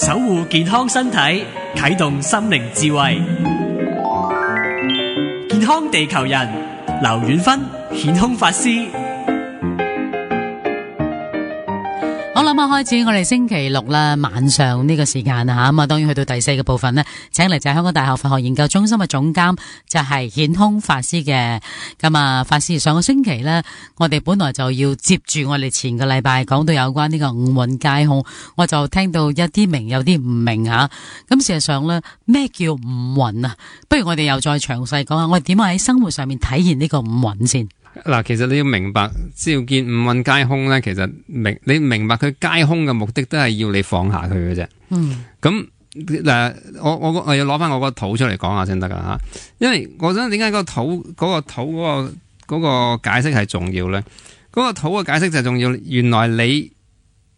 守護健康身體，啟動心靈智慧。健康地球人，劉遠芬顯空法師。好啦，咁開始我哋星期六啦，晚上呢個時間吓，咁啊，當然去到第四個部分呢，請嚟就係香港大學佛學研究中心嘅總監，就係顯空法師嘅。咁啊，法師上個星期呢，我哋本來就要接住我哋前個禮拜講到有關呢個五蘊皆空，我就聽到一啲明，有啲唔明吓。咁事實上呢，咩叫五蘊啊？不如我哋又再詳細講下，我哋點樣喺生活上面體現呢個五蘊先。嗱，其實你要明白，只要見五蘊皆空咧，其實你明白佢皆空嘅目的都係要你放下佢嘅啫。咁嗱，我要攞翻我個土出嚟講下先得噶吓，因為我想點解個土嗰個解釋係重要咧？嗰個土嘅解釋就係重要，原來你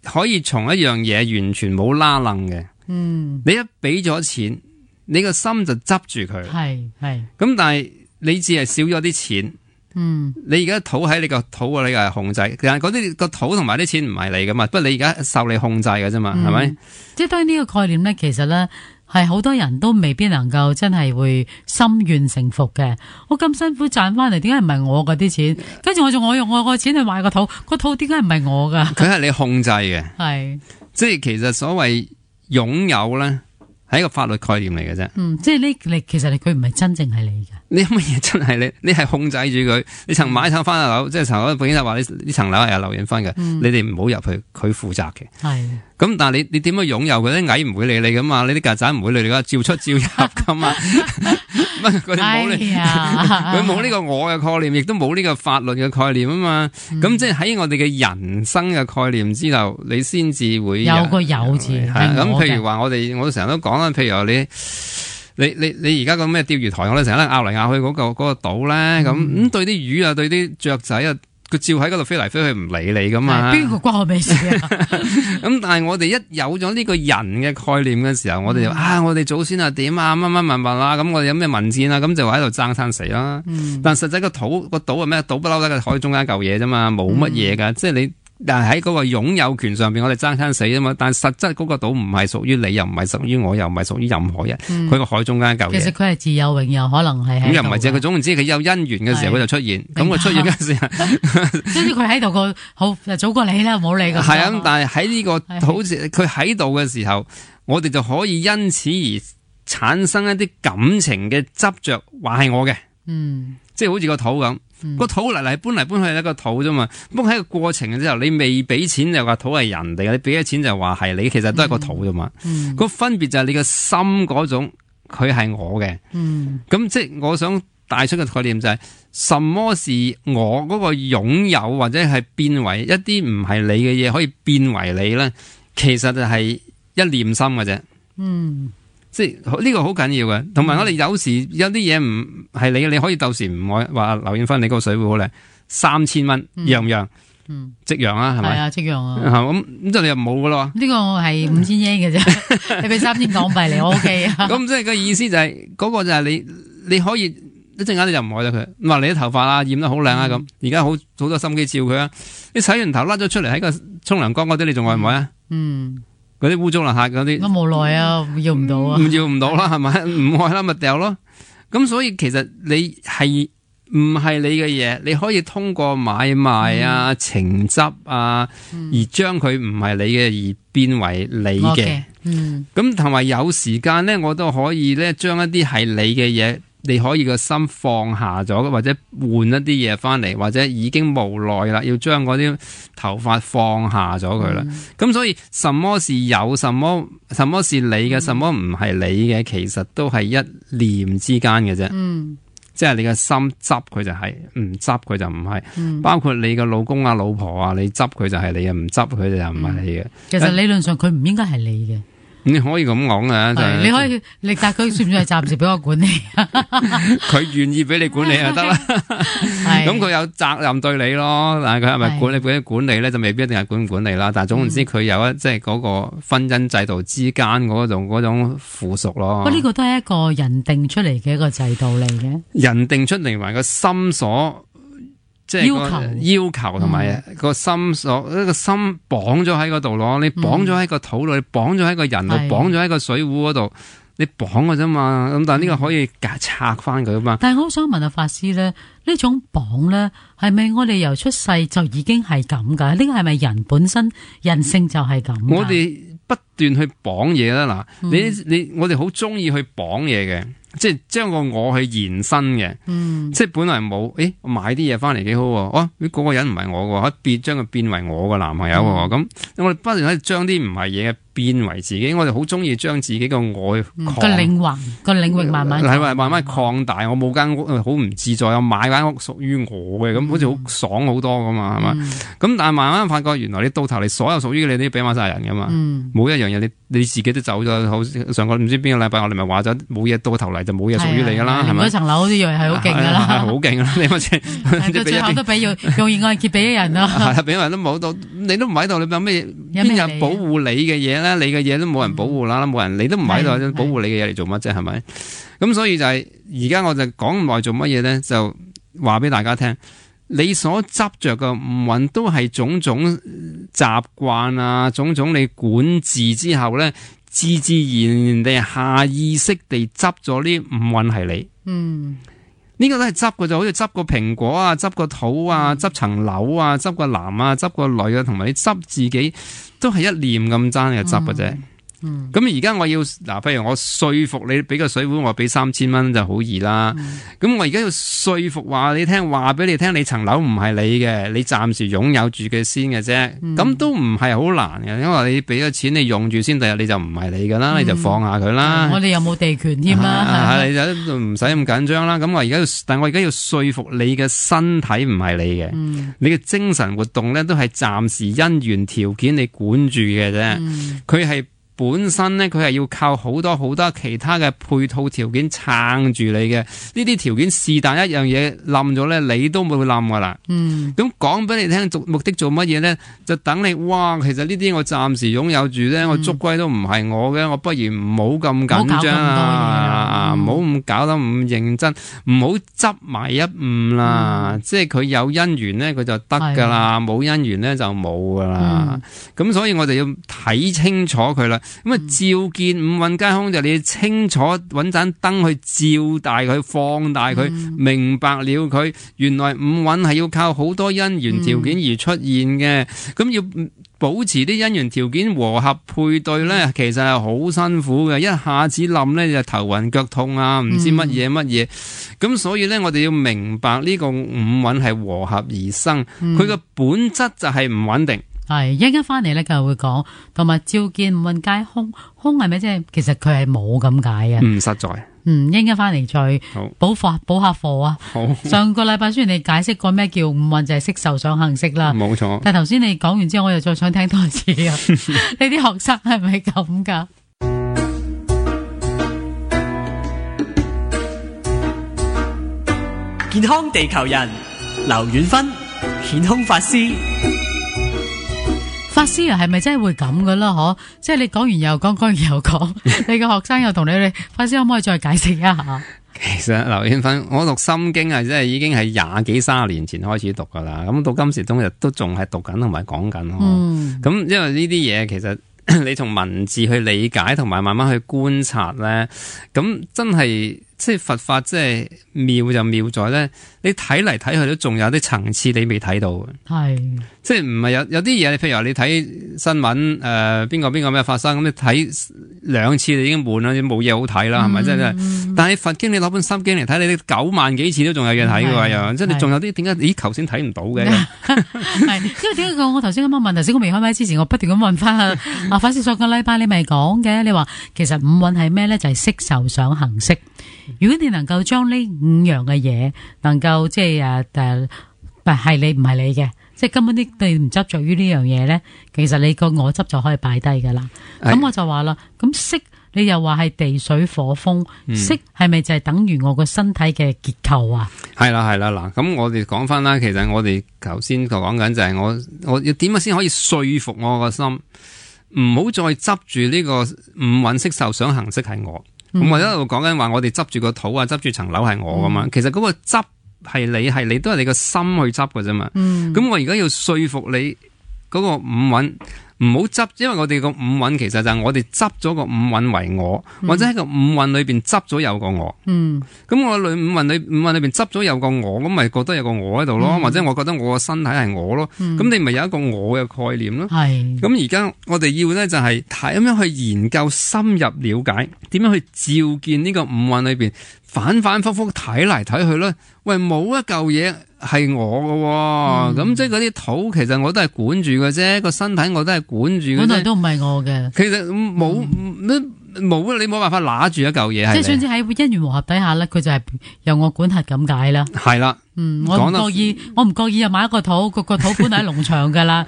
可以從一樣嘢完全冇拉楞嘅，你一俾咗錢，你個心就執住佢，係咁，但係你只係少咗啲錢。你而家土喺你個土啊，你係控制，其實嗰啲個土同埋啲錢唔係你噶嘛，不過你而家受你控制嘅啫嘛，係咪？即係當然呢個概念咧，其實咧係好多人都未必能夠真係會心願誠服嘅。我咁辛苦賺翻嚟，點解唔係我嗰啲錢？跟住我用我個錢去買個土點解唔係我噶？佢係你控制嘅，係即係其實所謂擁有咧係一個法律概念嚟嘅啫。即係你其實佢唔係真正係你嘅。呢乜嘢真係你係控制住佢。你曾買層翻樓，即係層樓本身就話呢層樓係有劉遠芬嘅，你哋唔好入去，佢負責嘅。係咁，但係你點樣擁有佢？啲蟻唔會理你噶嘛，你啲曱甴唔會理你噶，照出照入噶嘛。佢冇呢個我嘅概念，亦都冇呢個法律嘅概念啊嘛。咁即係喺我哋嘅人生嘅概念之後，你先至會有個有字。咁譬如話我成日都講啦，譬如話你而家個咩釣魚台，我哋成日拗嚟拗去嗰個島咧，咁對啲魚啊，對啲雀仔啊，佢照喺嗰度飛嚟飛去唔理你噶嘛。邊個關我咩事啊？咁但係我哋一有咗呢個人嘅概念嘅時候，我哋就我哋祖先啊點啊乜乜物物啊，咁我哋有咩文戰啊，咁就喺度爭生死啦。但實際個島係咩？島不嬲喺個海中間嚿嘢啫嘛，冇乜嘢噶，即係你。但係喺嗰個擁有權上邊，我哋爭生死啊嘛！但係實質嗰個島唔係屬於你，又唔係屬於我，又唔係屬於任何人。佢個海中間一嚿嘢。其實佢係自有永有，可能係咁又唔係啫。佢總言之，佢有因緣嘅時候，佢就出現。咁佢出現嘅時候，總之佢喺度個好早過你啦，唔好理佢。係啊，咁但係喺呢個好似佢喺度嘅時候，我哋就可以因此而產生一啲感情嘅執着，話係我嘅。即係好似個土咁。個土嚟搬嚟搬去係一個土啫嘛，不過喺個過程嘅之後，你未俾錢就話土係人哋嘅，你俾咗錢就話係你，其實都係個土啫嘛。個分別就係你個心嗰種，佢係我嘅。咁即係我想帶出嘅概念就係，什麼是我嗰個擁有或者係變為一啲唔係你嘅嘢，可以變為你咧？其實就係一念心嘅啫。即係呢個好緊要嘅，同埋我哋有時有啲嘢唔係你，你可以到時唔愛話劉遠芬，你個水壺好靚，3000蚊讓唔讓？即讓啊，係咪？係啊，即讓啊。咁就你又冇噶咯？呢個係5000yen嘅啫，你俾3000港幣嚟，我 OK 啊。咁即係個意思就係嗰個就係你可以一陣間你就唔愛咗佢，咁話你啲頭髮啊染得好靚啊咁，而家好多心機照佢啊，你洗完頭甩咗出嚟喺個沖涼缸嗰啲，你仲愛唔愛啊？嗰啲污糟邋遢嗰啲，我無奈啊，要唔到啊，要唔到啦，係咪？唔愛啦，咪掉咯。咁所以其實你係唔係你嘅嘢，你可以通過買賣啊、情執啊，而將佢唔係你嘅而變為你嘅。咁同埋有時間咧，我都可以咧將一啲係你嘅嘢。你可以個心放下咗，或者換一啲嘢翻嚟，或者已經無奈啦，要將嗰啲頭髮放下咗佢啦。咁所以什麼是有，什麼是你嘅，什麼唔係你嘅，其實都係一念之間嘅啫。即係你嘅心執佢就係，唔執佢就唔係。包括你嘅老公啊、老婆啊，你執佢就係你嘅，唔執佢就唔係你嘅。其實理論上佢唔應該係你嘅。你可以咁講嘅，你可以，但佢算唔算係暫時俾我管理？佢願意俾你管理就得啦。咁佢有責任對你咯，但係佢係咪管理俾你管理咧，就未必一定係管理啦。但係總言之，佢有即係嗰個婚姻制度之間嗰種附屬咯。呢個都係一個人定出嚟嘅一個制度嚟嘅。人定出嚟埋個心所即係個要求同埋個心所一個心綁咗喺嗰度咯，你綁咗喺個肚度，你綁咗喺個人度，綁咗喺個水壺嗰度，你綁嘅啫嘛。咁但係呢個可以拆翻佢啊嘛。但係我好想問下法師咧，呢種綁咧係咪我哋由出世就已經係咁噶？呢個係咪人本身人性就係咁？我哋不斷去綁嘢啦，嗱，我哋好中意去綁嘢嘅。即係將個我去延伸嘅，即係本來冇，我買啲嘢翻嚟幾好喎，嗰個人唔係我嘅，將佢變為我個男朋友喎，咁我哋不斷喺度將啲唔係嘢嘅變為自己，我哋好中意將自己個我個領域慢慢擴大。我冇間屋好唔自在，我買間屋屬於我嘅，咁好似好爽好多噶嘛，係嘛？咁但係慢慢發覺，原來你到頭嚟所有屬於你都要俾翻晒人噶嘛，冇一樣嘢你自己都走咗。好上個唔知邊個禮拜我哋咪話咗，冇嘢到頭嚟就冇嘢屬於你噶啦，係咪？嗰層樓都以為係好勁噶啦，係好勁啦！你咪先，到最後都俾用熱愛結俾人咯，係俾人都冇到，你都唔喺度，你有咩邊有保護你嘅嘢咧？你嘅嘢都冇人保護啦，冇人你都唔喺度，保護你嘅嘢嚟做乜啫？係咪？咁所以就係而家我就講咁耐做乜嘢咧？就話俾大家聽，你所執着嘅五蘊都係種種習慣啊，種種你管治之後咧，自自然然地下意識地執咗呢五蘊係你。呢個都係執嘅，就好似執個蘋果啊，執個土啊，執層樓啊，執個男啊，執個女啊，同埋你執自己都係一念咁爭嘅執嘅啫。咁而家我要嗱，譬如我說服你俾個水壺，我俾3000蚊就好易啦。咁我而家要說服話你聽，話俾你聽，你層樓唔係你嘅，你暫時擁有住嘅先嘅啫。咁都唔係好難嘅，因為你俾咗錢你用住先，第日你就唔係你噶啦，你就放下佢啦。我哋又冇地權添啦，你就唔使咁緊張啦。咁但係我而家要說服你嘅身體唔係你嘅，你嘅精神活動咧都係暫時因緣條件你管住嘅啫，佢係。本身咧，佢係要靠好多好多其他嘅配套條件撐住你嘅。呢啲條件是但一樣嘢冧咗咧，你都冇冧噶啦。咁講俾你聽，目的做乜嘢咧？就等你哇，其實呢啲我暫時擁有住咧，我捉龜都唔係我嘅，我不如唔好咁緊張啊，唔好咁搞得咁認真，唔好執埋一誤啦。即係佢有因緣咧，佢就得噶啦；冇因緣咧，就冇噶啦。咁所以我哋要睇清楚佢啦。咁啊，照見五蘊皆空就你清楚揾盞燈去照大佢、放大佢，明白了佢原來五蘊係要靠好多因緣條件而出現嘅。咁要保持啲因緣條件和合配對咧，其實係好辛苦嘅。一下子冧咧就頭暈腳痛啊，唔知乜嘢。咁所以咧，我哋要明白呢個五蘊係和合而生，佢個本質就係唔穩定。係一陣翻嚟咧，就會講，同埋照見五蘊皆空，空係咪即係其實佢係冇咁解嘅？唔實在。一陣翻嚟再補下課啊！好，上個禮拜雖然你解釋過咩叫五蘊，就係色受想行識啦，冇錯。但係頭先你講完之後，我又再想聽多一次啊！你啲學生係咪咁噶？健康地球人，劉遠芬，顯空法師。法師啊，係咪真係會咁噶啦？嗬，即係你講完又講，講完又講，你個學生又同你哋法師可唔可以再解釋一下？其實劉遠芬，我讀心經啊，即係已經係20幾30年前開始讀噶啦，咁到今時今日都仲係讀緊同埋講緊。咁因為呢啲嘢其實你從文字去理解同埋慢慢去觀察咧，咁真係。即係佛法，即係妙就妙在咧，你睇嚟睇去都仲有啲層次你未睇到嘅。係，即係唔係有啲嘢，譬如話你睇新聞，邊個咩發生，咁你睇2次你已經悶啦，冇嘢好睇啦，係咪？即係，但係佛經你攞本心經嚟睇，你9萬幾次都仲有嘢睇嘅喎，又即係你仲有啲點解？咦，頭先睇唔到嘅？係，因為點解我頭先咁樣問？頭先我未開麥之前，我不斷咁問翻阿法師，上個禮拜你咪講嘅，你話其實五蘊係咩咧？就係色受想行識。如果你能夠將呢5樣嘅嘢，能夠即係係你唔係你嘅，即係根本啲你唔執着於呢樣嘢咧，其實你個我執就可以擺低噶啦。咁我就話啦，咁色你又話係地水火風，色係咪就係等於我個身體嘅結構啊？係啦嗱，咁我哋講翻啦，其實我哋頭先講緊就係我要點樣先可以說服我個心，唔好再執住呢個五蘊色受想行識係我。咁我一路講緊話，我哋執住個土啊，執住層樓係我噶嘛。其實嗰個執係你都係你個心去執㗎啫嘛。咁我而家要說服你嗰個五蘊唔好執，因為我哋個五蘊其實就係我哋執咗個五蘊為我，或者喺個五蘊裏邊執咗有個我。咁我五蘊裏邊執咗有個我，咁咪覺得有個我喺度咯，或者我覺得我個身體係我咯。咁你咪有一個我嘅概念咯。咁而家我哋要咧就係睇咁樣去研究深入了解，點樣去照見呢個五蘊裏邊反反复复睇嚟睇去咧。喂，冇一嚿嘢係我嘅，咁即係嗰啲土其實我都係管住嘅啫，個身體我都係管住嘅啫。本來都唔係我嘅。其實冇你冇辦法拿住一嚿嘢。即係總之喺因緣和合底下咧，佢就係由我管轄咁解啦。係啦。我唔覺意又買一個土，個土本來喺農場噶啦，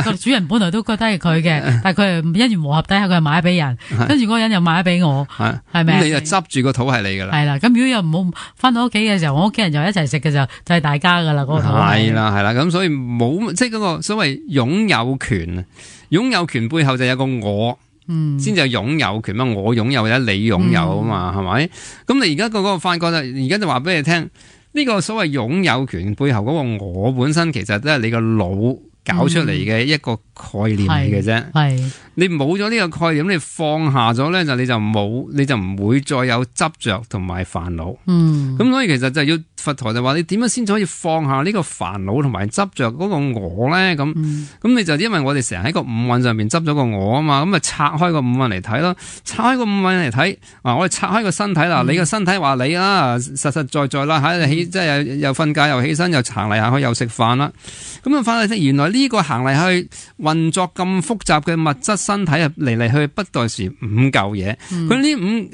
個主人本來都覺得係佢嘅，但係佢係因緣和合底下佢係買俾人，跟住嗰個人又買俾我，係咪？咁你就執住個土係你噶啦。係啦，咁如果又唔好翻到屋企嘅時候，我屋企人又一齊食嘅時候，就係大家噶啦嗰個土。係啦，咁所以冇即係嗰個所謂擁有權啊，擁有權背後就有個我。先至係擁有權嘛，我擁有或者你擁有啊嘛，係咪？咁你而家個發覺而家就話俾你聽，呢個所謂擁有權背後嗰個我本身，其實都係你個腦搞出嚟嘅一個概念嚟嘅啫。你冇咗呢個概念，你放下咗咧，你就唔會再有執着同埋煩惱。咁所以其實就要佛陀就話你點樣先可以放下呢個煩惱同埋執着嗰個我咧？咁你就因為我哋成日喺個五蘊上面執咗個我啊嘛，咁啊拆開個五蘊嚟睇咯，拆開個五蘊嚟睇，我哋拆開個身體啦，你個身體話你啦，實實在在啦，喺起即係又瞓覺又起身又行嚟行去又食飯啦，咁啊翻嚟原來呢個行嚟去運作咁複雜嘅物質身體啊，嚟去不代是五嚿嘢，佢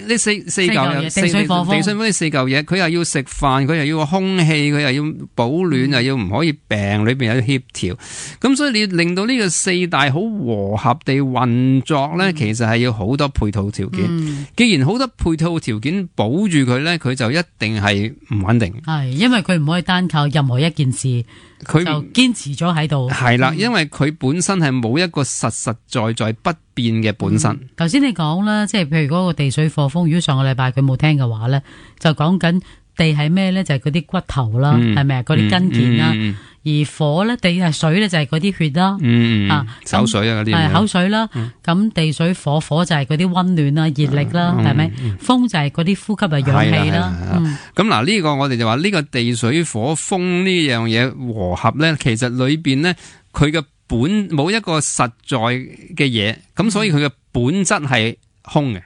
呢四嚿嘢，地水火風呢四嚿嘢，佢又要食飯，佢又要空氣，佢又要保暖，又要唔可以病，裏邊有協調，咁所以你要令到呢個四大好和合地運作咧，其實係要好多配套條件。既然好多配套條件保住佢咧，佢就一定係唔穩定。係，因為佢唔可以單靠任何一件事，佢就堅持咗喺度。係啦，因為佢本身係冇一個實實在在不變嘅本身。頭先你講啦，即係譬如嗰個地水火風，如果上個禮拜佢冇聽嘅話咧，就講緊地係咩咧？就係嗰啲骨頭啦，係咪啊？嗰啲筋腱啦。而火咧，地係水咧，就係嗰啲血啦。口水啊嗰啲。係口水啦。咁地水火就係嗰啲溫暖啦、熱力啦，係咪？風就係嗰啲呼吸啊、氧氣啦。咁嗱，呢個我哋就話呢個地水火風呢樣嘢和合咧，其實裏邊咧佢嘅本冇一個實在嘅嘢，咁所以佢嘅本質係空嘅。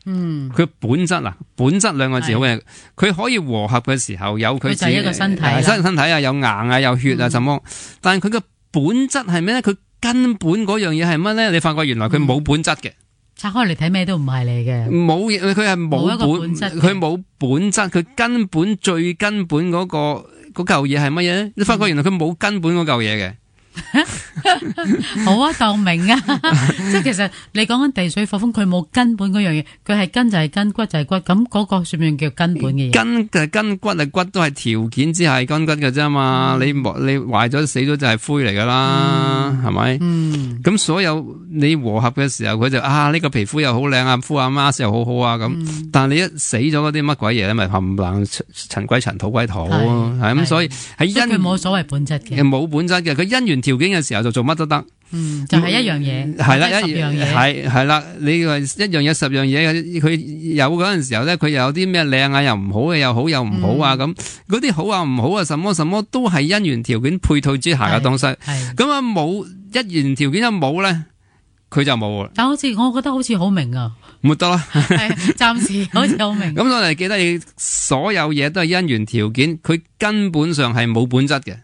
佢本質啊，本質兩個字好嘅，佢可以和合嘅時候有佢自己就係一個身體，身體啊，有硬啊，有血啊，什麼？但係佢嘅本質係咩咧？佢根本嗰樣嘢係乜咧？你發覺原來佢冇本質嘅，拆開嚟睇咩都唔係嚟嘅，冇嘢，佢係冇本質，佢冇本質，佢根本最根本嗰嚿嘢係乜嘢咧？你發覺原來佢冇根本嗰嚿嘢嘅。好啊，當明啊，即係其實你講緊地水火風，佢冇根本嗰樣嘢，佢係根就係根，骨就係骨，咁嗰個算唔算叫根本嘅嘢？根就係根，骨係骨，都係條件之下係根骨嘅啫嘛。你壞咗死咗就係灰嚟噶啦，係咪？咁所有你和合嘅時候，佢就呢個皮膚又好靚啊，敷下 mask 又好好啊咁。但係你一死咗嗰啲乜鬼嘢咧，咪冚唪唥塵歸塵，土歸土，係咁。所以喺佢冇所謂本質嘅，冇本質嘅，佢因緣條件嘅時候就做乜都得。就係一樣嘢，係啦，一樣嘢，係啦。你話一樣嘢十樣嘢，佢有嗰陣時候咧，佢又有啲咩靚啊，又唔好嘅，又好又唔好啊，咁嗰啲好啊唔好啊，什麼什麼都係因緣條件配套之下嘅東西。咁啊冇一緣條件一冇咧，佢就冇啦。但好似我覺得好似好明啊，冇得啦，暫時好似好明。咁我哋記得，你所有嘢都係因緣條件，佢根本上係冇本質嘅。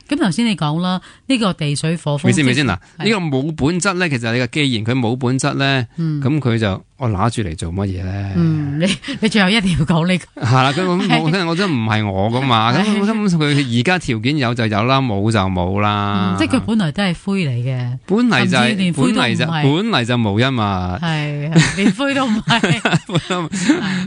咁頭先你講啦，呢個地水火風，咪先嗱，呢個冇本質咧，其實你個既然佢冇本質咧，咁佢就我拿住嚟做乜嘢咧？你最後一定要講呢個係啦，咁我真唔係我噶嘛，咁根本佢而家條件有就有啦，冇就冇啦。即係佢本來都係灰嚟嘅，本嚟就無一物，係連灰都唔係，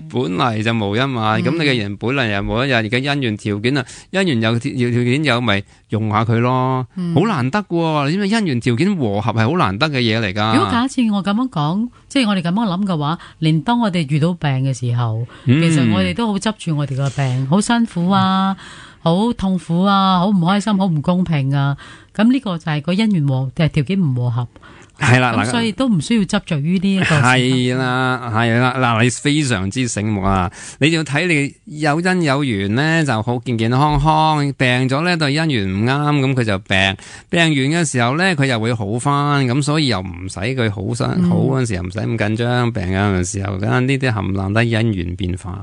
本嚟就無一物。咁你嘅人本嚟又冇一日，而家因緣條件啊，因緣有條件有咪用下佢咯，好難得嘅，因為因緣條件和合係好難得嘅嘢嚟噶。如果假設我咁樣講，即係我哋咁樣諗嘅話，連當我哋遇到病嘅時候，其實我哋都好執住我哋個病，好辛苦啊，好痛苦啊，好唔開心，好唔公平啊。咁呢個就係個姻緣條件唔和合。係啦，咁所以都唔需要執着於呢一個。係啦，嗱，你非常之醒目啊！你就要睇你有因有緣咧，就好健健康康；病咗咧，對姻緣唔啱，咁佢就病。病完嘅時候咧，佢又會好翻，咁所以又唔使佢好嗰陣時，又唔使咁緊張。病嘅時候，咁呢啲冚唪唥都因緣變化。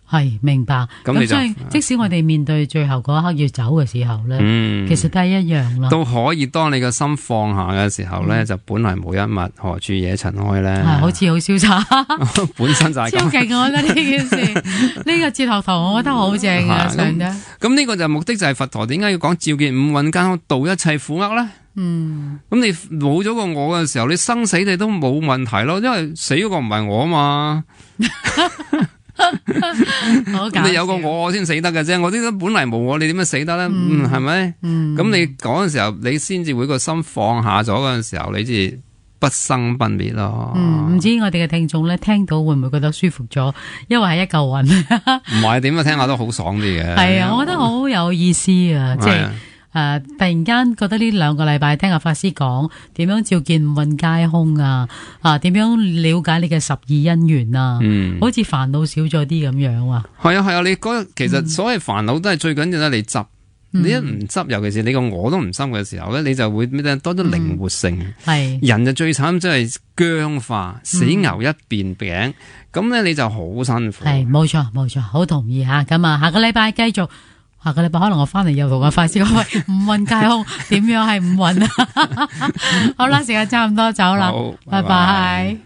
係明白，咁所以即使我哋面對最後嗰一刻要走嘅時候咧，其實都係一樣啦。都可以，當你個心放下嘅時候咧，就本來無一物，何處惹塵埃咧？好似好瀟灑，本身就係咁。超勁，我覺得呢件事，呢個哲學堂，我覺得好正啊！咁呢個就目的就係佛陀點解要講照見五蘊皆空，度一切苦厄咧？咁你冇咗個我嘅時候，你生死你都冇問題咯，因為死嗰個唔係我啊嘛。你有個我先死得嘅啫，我啲都本嚟冇我，你點樣死得咧？係咪？咁你講嘅時候，你先至會個心放下咗嗰陣時候，你至不生不滅咯。唔知我哋嘅聽眾咧聽到會唔會覺得舒服咗？因為係一嚿雲。唔係點啊？聽下都好爽啲嘅。係啊，我覺得好有意思啊！即係突然間覺得呢2個禮拜聽阿法師講點樣照見五蘊皆空啊，點樣了解你嘅12因緣啊，好似煩惱少咗啲咁樣啊。係啊，你其實所謂煩惱都係最緊要咧，你執。你一唔執，尤其是你個我都唔深嘅時候咧，你就會多咗靈活性。人就最慘，即係僵化，死牛一邊餅，咁咧你就好辛苦。係冇錯，好同意吓。咁下個禮拜繼續。下個禮拜可能我翻嚟又同阿法師講，喂，五蘊皆空，點樣係五蘊啊？好啦，時間差唔多走啦，拜拜。